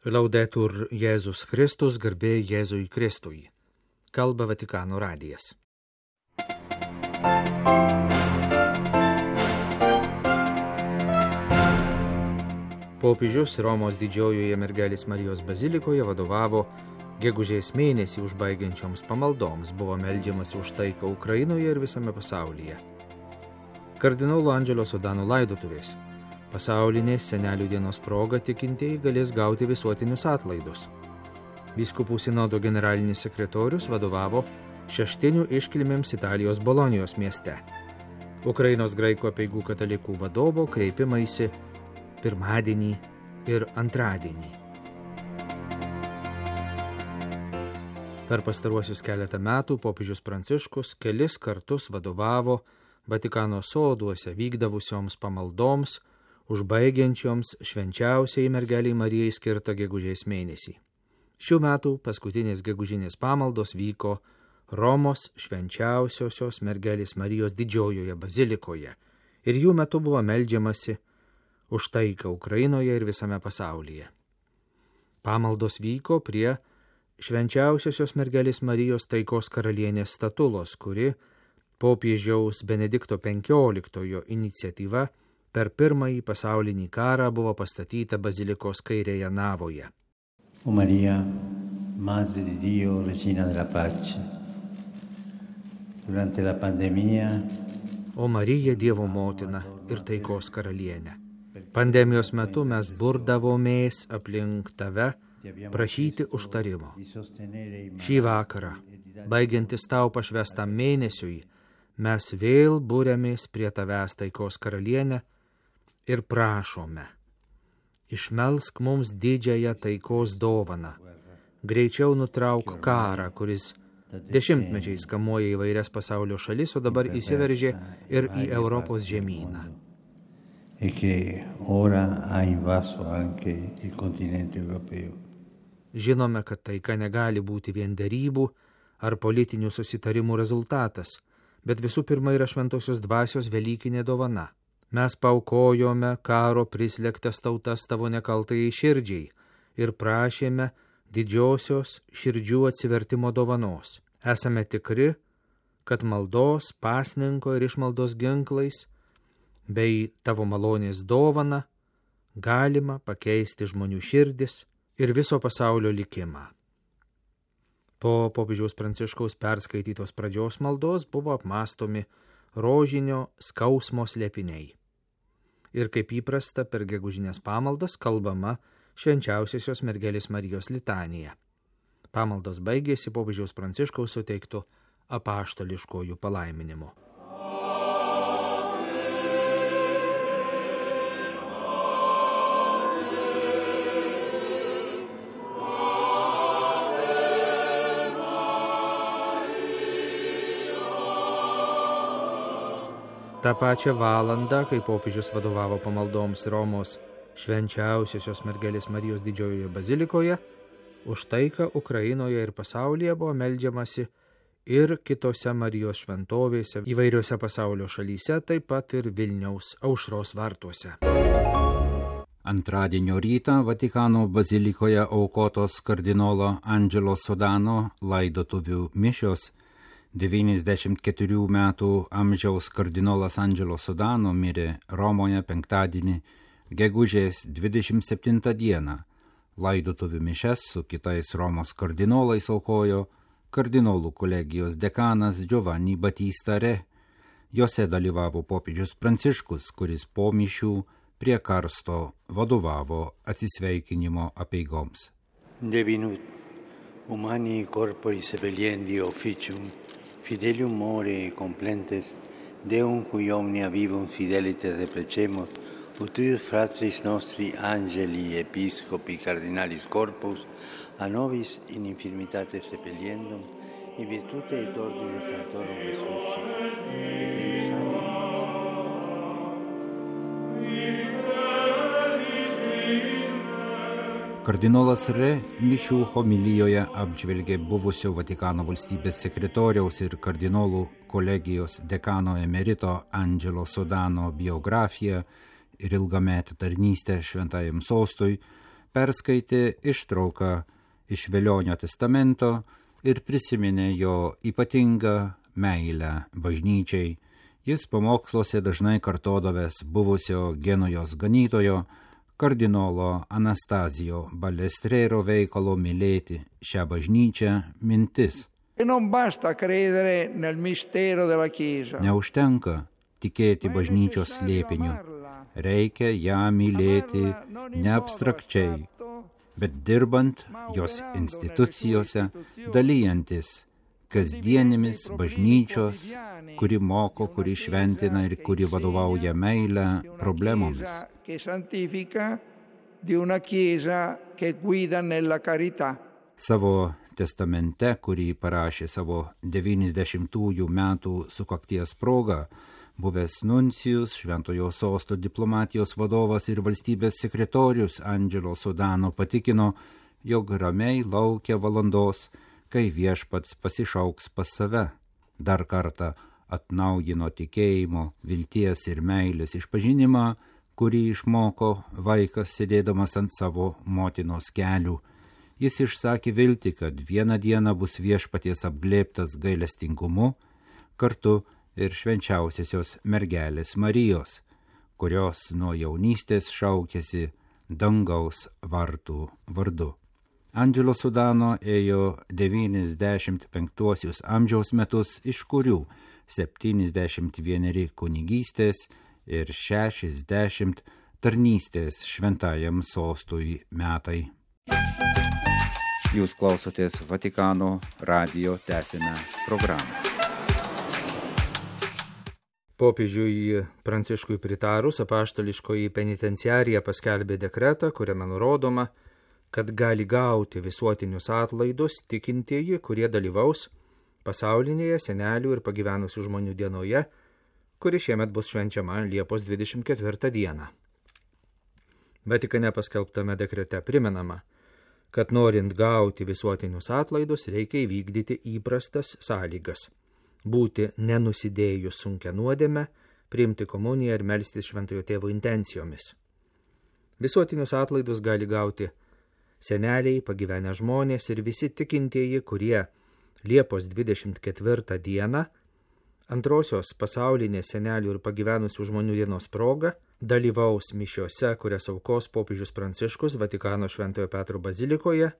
Laudetur Jėzus Kristus, garbė Jėzui Kristui. Kalba Vatikano radijas. Popiežius Romos didžiojoje Mergelės Marijos bazilikoje vadovavo gegužės mėnesį užbaigiančioms pamaldoms, buvo meldžiamasi už taiką Ukrainoje ir visame pasaulyje. Kardinolo Andželo Sodano laidotuvės. Pasaulinės senelių dienos proga tikintieji galės gauti visuotinius atlaidus. Vyskupų sinodo generalinis sekretorius vadovavo šeštinių iškilmėms Italijos Bolonijos mieste. Ukrainos graikų apeigų katalikų vadovo kreipimaisi pirmadienį ir antradienį. Per pastaruosius keletą metų popiežius Pranciškus kelis kartus vadovavo Vatikano soduose vykdavusioms pamaldoms, užbaigiančioms švenčiausiai Mergelei Marijai skirtą gegužės mėnesį. Šių metų paskutinės gegužinės pamaldos vyko Romos švenčiausiosios Mergelės Marijos didžiojoje bazilikoje ir jų metu buvo meldžiamasi už taiką Ukrainoje ir visame pasaulyje. Pamaldos vyko prie švenčiausiosios Mergelės Marijos taikos karalienės statulos, kuri popiežiaus Benedikto XV iniciatyva per pirmąjį pasaulinį karą buvo pastatyta bazilikos kairėje navoje. O Maria, Madre di Dio, Regina della Pace, durante la pandemia. O Marija, Dievo motina ir taikos karalienė. Pandemijos metu mes burdavomės aplink tave prašyti užtarimo. Šį vakarą, baigiantis tau pašvestam mėnesiui, mes vėl būrėmės prie tavęs taikos karalienę ir prašome, išmelsk mums didžiąją taikos dovaną, greičiau nutrauk karą, kuris dešimtmečiais kamuoja įvairias pasaulio šalis, o dabar įsiveržė ir į Europos žemyną. Žinome, kad taika negali būti vien derybų ar politinių susitarimų rezultatas, bet visų pirma yra šventosios dvasios velykinė dovana. Mes paaukojome karo prislėgtas tautas tavo nekaltajai širdžiai ir prašėme didžiosios širdžių atsivertimo dovanos. Esame tikri, kad maldos, pasninko ir išmaldos ginklais bei tavo malonės dovana galima pakeisti žmonių širdis ir viso pasaulio likimą. Po popiežiaus Pranciškaus perskaitytos pradžios maldos buvo apmąstomi rožinio skausmo slėpiniai. Ir kaip įprasta per gegužinės pamaldas kalbama švenčiausiosios Mergelės Marijos litanija. Pamaldos baigėsi popiežiaus Pranciškaus suteiktų apaštališkojų palaiminimu. Ta pačią valandą, kai popiežius vadovavo pamaldoms Romos švenčiausiosios Mergelės Marijos didžiojoje bazilikoje, už taiką Ukrainoje ir pasaulyje buvo meldžiamasi ir kitose Marijos šventovėse įvairiose pasaulio šalyse, taip pat ir Vilniaus Aušros vartuose. Antradienio rytą Vatikano bazilikoje aukotos kardinolo Andželo Sodano laidotuvių mišios. 94 metų amžiaus kardinolas Andželo Sodano mirė Romoje penktadienį, gegužės 27 dieną. Laidotuvių mišias su kitais Romos kardinolais aukojo kardinolų kolegijos dekanas Giovanni Battista Re. Jose dalyvavo popiežius Pranciškus, kuris po mišių prie karsto vadovavo atsisveikinimo apeigoms. Devinut humani corpori sebeliendi officium, fidelium more complentes, Deum cui omnia vivum fideliter replecemus, utius fratris nostri angeli, episcopi, cardinalis corpus, a nobis in infirmitate sepeliendum, in virtute et ordine sanctorum resuscita, et eius animi Kardinolas Re mišių homilijoje apžvelgė buvusio Vatikano valstybės sekretoriaus ir kardinolų kolegijos dekano emerito Andželo Sodano biografiją ir ilgametę tarnystę šventajam sostui, perskaitė ištrauką iš Velionio testamento ir prisiminė jo ypatingą meilę bažnyčiai. Jis pamoksluose dažnai kartodavęs buvusio Genujos ganytojo kardinolo Anastazijo Balestrero veikalo mylėti šią bažnyčią mintis. Neužtenka tikėti bažnyčios slėpiniu, reikia ją mylėti ne abstrakčiai, bet dirbant jos institucijose, dalyjantis kasdienėmis bažnyčios, kuri moko, kuri šventina ir kuri vadovauja meilę problemomis. Savo testamente, kurį parašė savo 90-ųjų metų sukakties proga, buvęs nuncijus, Šventojo Sosto diplomatijos vadovas ir valstybės sekretorius Angelo Sodano patikino, jog ramiai laukia valandos, kai viešpats pasišauks pas save. Dar kartą atnaujino tikėjimo, vilties ir meilės išpažinimą, kurį išmoko vaikas sėdėdamas ant savo motinos kelių. Jis išsakė viltį, kad vieną dieną bus viešpaties apglėbtas gailestingumu, kartu ir švenčiausiosios mergelės Marijos, kurios nuo jaunystės šaukėsi dangaus vartų vardu. Angelo Sodano ėjo 95 amžiaus metus, iš kurių 71 kunigystės ir 60 tarnystės šventajam sostui metai. Jūs klausotės Vatikano radijo, tęsime programą. Popiežiui Pranciškui pritarus, apaštališkoji penitenciarija paskelbė dekretą, kuriame nurodoma, kad gali gauti visuotinius atlaidus tikintieji, kurie dalyvaus pasaulinėje senelių ir pagyvenusių žmonių dienoje, kuri šiemet bus švenčiama Liepos 24 dieną. Vatikane paskelbtame dekrete primenama, kad norint gauti visuotinius atlaidus reikia įvykdyti įprastas sąlygas – būti nenusidėjus sunkia nuodėme, priimti komuniją ir melstis Šventojo Tėvo intencijomis. Visuotinius atlaidus gali gauti seneliai, pagyvenę žmonės ir visi tikintieji, kurie Liepos 24 dieną, antrosios pasaulinės senelių ir pagyvenusių žmonių dienos proga, dalyvaus mišiose, kurias aukos popiežius Pranciškus Vatikano Šventojo Petro bazilikoje,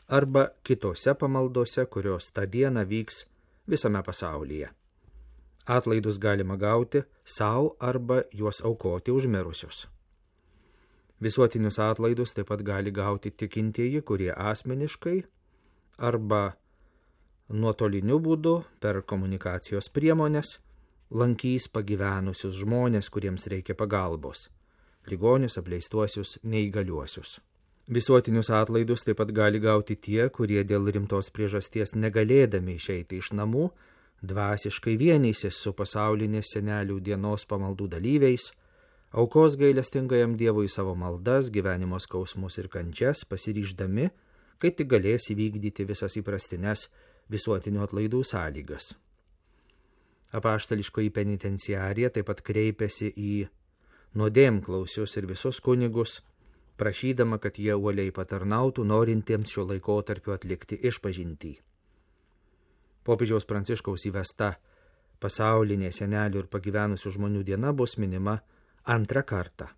arba kitose pamaldose, kurios tą dieną vyks visame pasaulyje. Atlaidus galima gauti savo arba juos aukoti už mirusius. Visuotinius atlaidus taip pat gali gauti tikintieji, kurie asmeniškai arba nuotoliniu būdu per komunikacijos priemonės lankys pagyvenusius žmonės, kuriems reikia pagalbos – ligonius, apleistuosius, neįgaliuosius. Visuotinius atlaidus taip pat gali gauti tie, kurie dėl rimtos priežasties negalėdami išeiti iš namų, dvasiškai vienysis su pasaulinės senelių dienos pamaldų dalyviais, aukos gailestingajam Dievui savo maldas, gyvenimo skausmus ir kančias, pasiryždami, kai tik galės įvykdyti visas įprastines visuotinių atlaidų sąlygas. Apaštališkoji penitenciarija taip pat kreipėsi į nuodėmklausius ir visus kunigus, prašydama, kad jie uoliai patarnautų norintiems šio laikotarpio atlikti išpažintį. Popiežiaus Pranciškaus įvesta pasaulinė senelių ir pagyvenusių žmonių diena bus minima antrą kartą.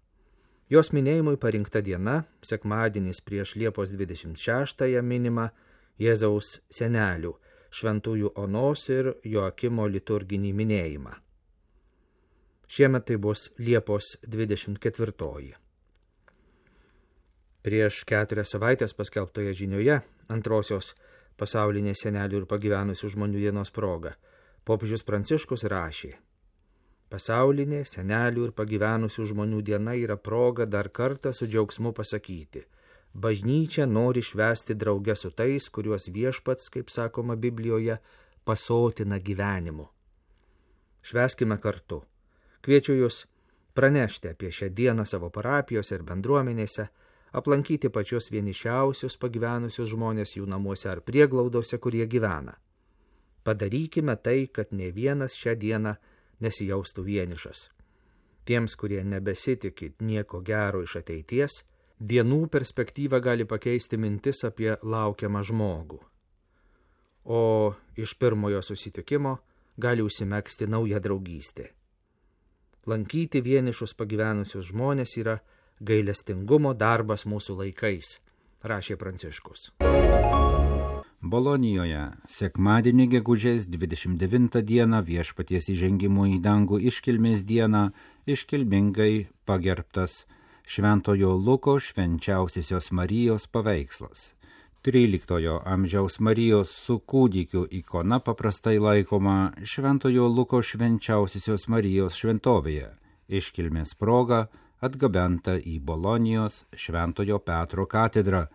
Jos minėjimui parinkta diena, sekmadienis prieš Liepos 26-ąją minima Jėzaus senelių, šventųjų Onos ir Joakimo liturginį minėjimą. Šiemet tai bus Liepos 24-oji. Prieš 4 savaitės paskelbtoje žinioje, antrosios pasaulinės senelių ir pagyvenusių žmonių dienos proga, popiežius Pranciškus rašė: pasaulinė senelių ir pagyvenusių žmonių diena yra proga dar kartą su džiaugsmu pasakyti: bažnyčia nori švęsti drauge su tais, kuriuos viešpats, kaip sakoma Biblijoje, pasotina gyvenimu. Švęskime kartu. Kviečiu jūs pranešti apie šią dieną savo parapijose ir bendruomenėse, aplankyti pačius vienišiausius pagyvenusius žmonės jų namuose ar prieglaudose, kurie gyvena. Padarykime tai, kad ne vienas šią dieną nesijaustų vienišas. Tiems, kurie nebesitikit nieko gero iš ateities, dienų perspektyvą gali pakeisti mintis apie laukiamą žmogų. O iš pirmojo susitikimo gali užsimegzti nauja draugystė. Lankyti vienišus pagyvenusius žmonės yra gailestingumo darbas mūsų laikais, rašė Pranciškus. Bolonijoje sekmadienį gegužės 29 dieną Viešpaties įžengimo į dangų iškilmės dieną iškilmingai pagerbtas Šventojo Luko švenčiausiosios Marijos paveikslas. 13 amžiaus Marijos su kūdikiu ikona paprastai laikoma Šventojo Luko švenčiausiosios Marijos šventovėje. Iškilmės proga atgabenta į Bolonijos Šventojo Petro katedrą,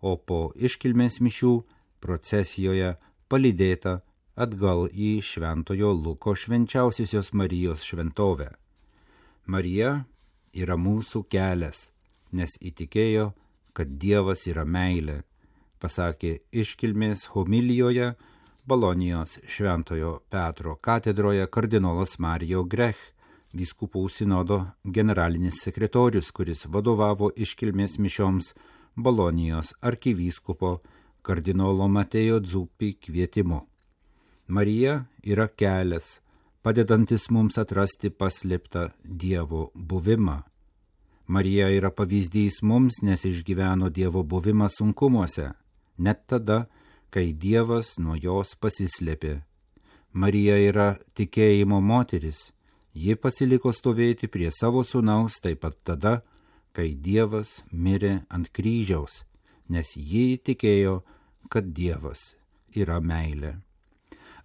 o po iškilmės mišių procesijoje palydėta atgal į Šventojo Luko švenčiausiosios Marijos šventovę. Marija yra mūsų kelias, nes įtikėjo, kad Dievas yra meilė, pasakė iškilmės homilijoje Bolonijos Šventojo Petro katedroje kardinolas Mario Grech, vyskupų sinodo generalinis sekretorius, kuris vadovavo iškilmės mišioms Bolonijos arkivyskupo kardinolo Mateo Zuppi kvietimu. Marija yra kelias, padedantis mums atrasti paslėptą Dievo buvimą. Marija yra pavyzdys mums, nes išgyveno Dievo buvimą sunkumuose, net tada, kai Dievas nuo jos pasislėpė. Marija yra tikėjimo moteris, ji pasiliko stovėti prie savo sūnaus taip pat tada, kai Dievas mirė ant kryžiaus, nes ji tikėjo, kad Dievas yra meilė.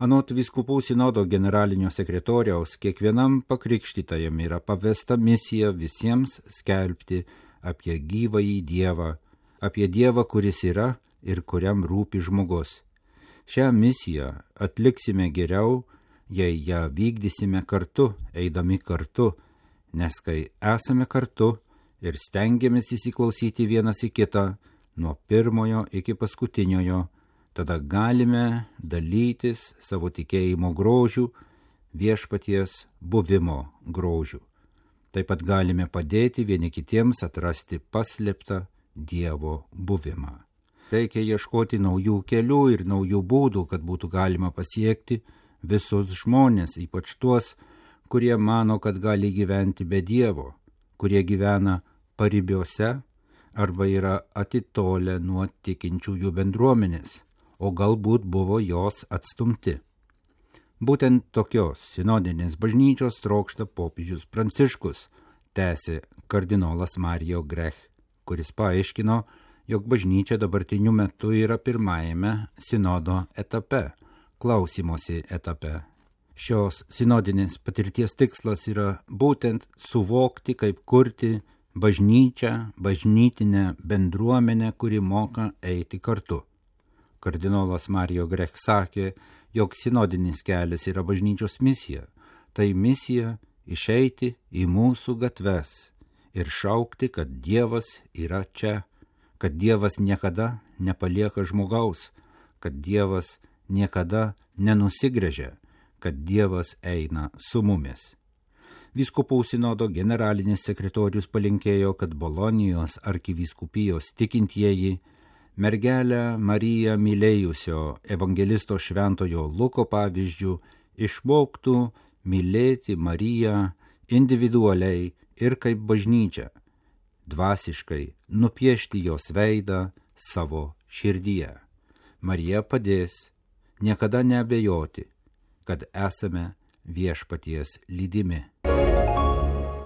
Anot vyskupų sinodo generalinio sekretoriaus, kiekvienam pakrikštytajam yra pavesta misija visiems skelbti apie gyvąjį Dievą, apie Dievą, kuris yra ir kuriam rūpi žmogus. Šią misiją atliksime geriau, jei ją vykdysime kartu, eidami kartu, nes kai esame kartu ir stengiamės įsiklausyti vienas į kitą, nuo pirmojo iki paskutiniojo, tada galime dalytis savo tikėjimo grožių, Viešpaties buvimo grožių. Taip pat galime padėti vieni kitiems atrasti paslėptą Dievo buvimą. Reikia ieškoti naujų kelių ir naujų būdų, kad būtų galima pasiekti visus žmonės, ypač tuos, kurie mano, kad gali gyventi be Dievo, kurie gyvena paribiuose arba yra atitolę nuo tikinčiųjų bendruomenės, o galbūt buvo jos atstumti. Būtent tokios sinodinės bažnyčios trokšta popiežius Pranciškus, tęsė kardinolas Mario Grech, kuris paaiškino, jog bažnyčia dabartiniu metu yra pirmajame sinodo etape, klausymosi etape. Šios sinodinės patirties tikslas yra būtent suvokti, kaip kurti bažnyčią, bažnytinę bendruomenę, kuri moka eiti kartu. Kardinolas Mario Grech sakė, jog sinodinis kelias yra bažnyčios misija. Tai misija išeiti į mūsų gatves ir šaukti, kad Dievas yra čia, kad Dievas niekada nepalieka žmogaus, kad Dievas niekada nenusigręžia, kad Dievas eina su mumis. Vyskupų sinodo generalinis sekretorius palinkėjo, kad Bolonijos arkivyskupijos tikintieji mergelę Mariją mylėjusio evangelisto Šventojo Luko pavyzdžių išmoktų mylėti Mariją individualiai ir kaip bažnyčia, dvasiškai nupiešti jos veidą savo širdyje. Marija padės niekada neabejoti, kad esame Viešpaties lydimi.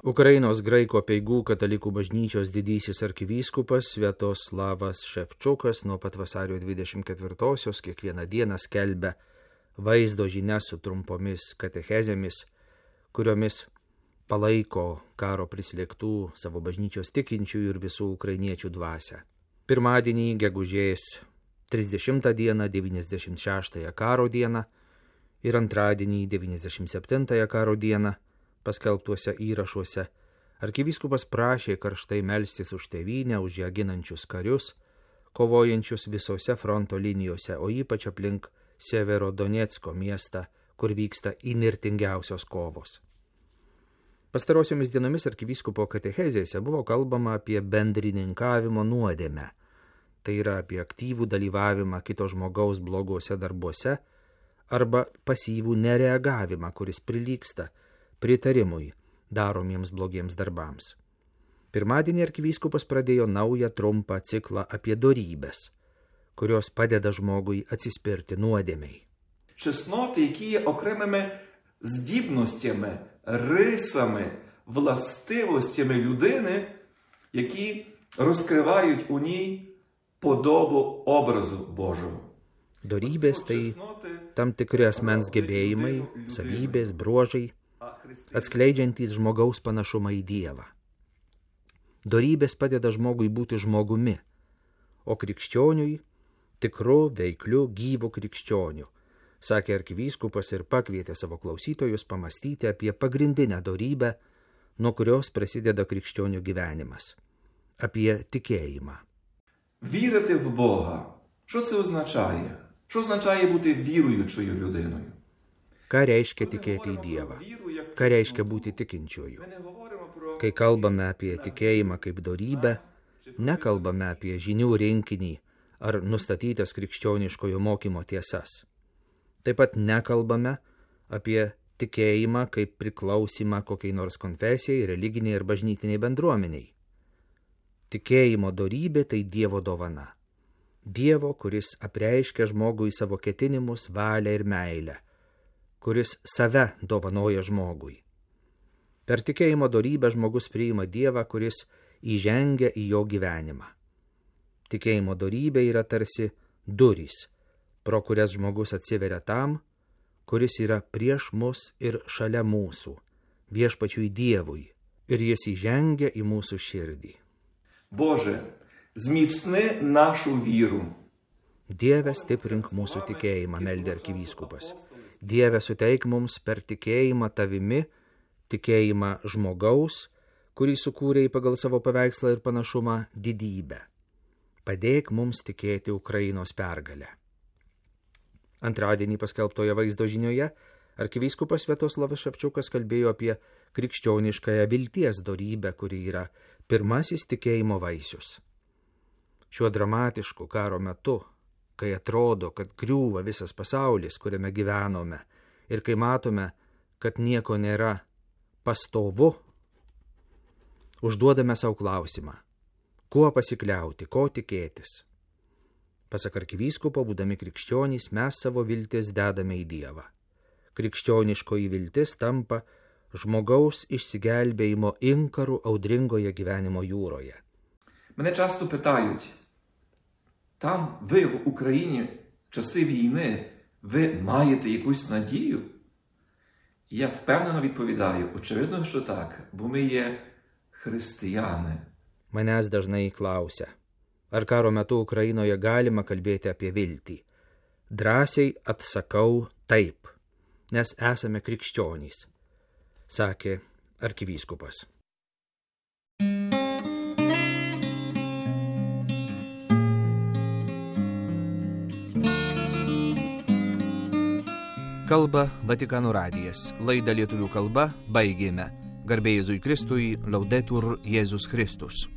Ukrainos graikų apeigų katalikų bažnyčios didysis arkivyskupas Sviatoslavas Ševčukas nuo pat vasario 24-osios kiekvieną dieną skelbia vaizdo žinias su trumpomis katechezėmis, kuriomis palaiko karo prislėgtų savo bažnyčios tikinčiųjų ir visų ukrainiečių dvasią. Pirmadienį, gegužės 30 dieną, 96 karo dieną ir antradienį, 97 karo dieną, paskelbtuose įrašuose, arkivyskupas prašė karštai melstis už tėvynę, už ją ginančius karius, kovojančius visose fronto linijose, o ypač aplink Severodonecko miestą, kur vyksta įnirtingiausios kovos. Pastarosiomis dienomis arkivyskupo katechezėse buvo kalbama apie bendrininkavimo nuodėmę. Tai yra apie aktyvų dalyvavimą kito žmogaus bloguose darbuose arba pasyvų nereagavimą, kuris prilygsta pritarimui daromiems blogiems darbams. Pirmadienį arkivyskupas pradėjo naują trumpą ciklą apie dorybes, kurios padeda žmogui atsispirti nuodėmей. Чесноти, які є окремими здібностями, рисами, властивостями людини, які розкривають у ній подобу образу Божого. Dorybės tai tam tikri asmens gebėjimai, savybės, bruožai, atskleidžiantys žmogaus panašumą į Dievą. Dorybės padeda žmogui būti žmogumi, o krikščioniui tikru, veikliu, gyvu krikščioniu, sakė arkivyskupas ir pakvietė savo klausytojus pamastyti apie pagrindinę dorybę, nuo kurios prasideda krikščionių gyvenimas – apie tikėjimą. Вірити в Бога. Що це означає? Що означає бути віруючою людиною? Ką reiškia tikėti į Dievą? Ką reiškia būti tikinčiuoju? Kai kalbame apie tikėjimą kaip dorybę, nekalbame apie žinių rinkinį ar nustatytas krikščioniškojo mokymo tiesas. Taip pat nekalbame apie tikėjimą kaip priklausimą kokiai nors konfesijai, religiniai ir bažnytiniai bendruomeniai. Tikėjimo dorybė tai Dievo dovana. Dievo, kuris apreiškia žmogui savo ketinimus, valią ir meilę, kuris save dovanoja žmogui. Per tikėjimo dorybę žmogus priima Dievą, kuris įžengia į jo gyvenimą. Tikėjimo dorybė yra tarsi durys, pro kurias žmogus atsiveria tam, kuris yra prieš mus ir šalia mūsų, viešpačiui Dievui, ir jis įžengia į mūsų širdį. Боже, зміцни нашу віру. Dieve, stiprink mūsų tikėjimą, meldė arkivyskupas. Dieve, suteik mums per tikėjimą tavimi, tikėjimą žmogaus, kurį sukūrei pagal savo paveikslą ir panašumą, didybę. Padėk mums tikėti Ukrainos pergalę. Antradienį paskelbtoje vaizdo žinioje arkivyskupas Sviatoslavas Ševčiukas kalbėjo apie krikščioniškąją vilties dorybę, kuri yra pirmasis tikėjimo vaisius. Šiuo dramatišku karo metu, kai atrodo, kad griūva visas pasaulis, kuriame gyvenome, ir kai matome, kad nieko nėra pastovu, užduodame savo klausimą, kuo pasikliauti, ko tikėtis. Pasak arkivyskupo, būdami krikščionys, mes savo viltis dedame į Dievą. Krikščioniškoji viltis tampa žmogaus išsigelbėjimo inkarų audringoje gyvenimo jūroje. Мене часто питають, там ви в Україні в часи війни, ви маєте якусь надію? І я впевнено відповідаю, очевидно, що так, бо ми є християни. Manęs dažnai klausia, ar karo metu Ukrainoje galima kalbėti apie viltį. Drąsiai atsakau taip, nes esame krikščionys, sakė arkivyskupas. Kalba Vatikano radijas. Laidą lietuvių kalba baigėme. Garbė Jėzui Kristui, Laudetur Jėzus Kristus.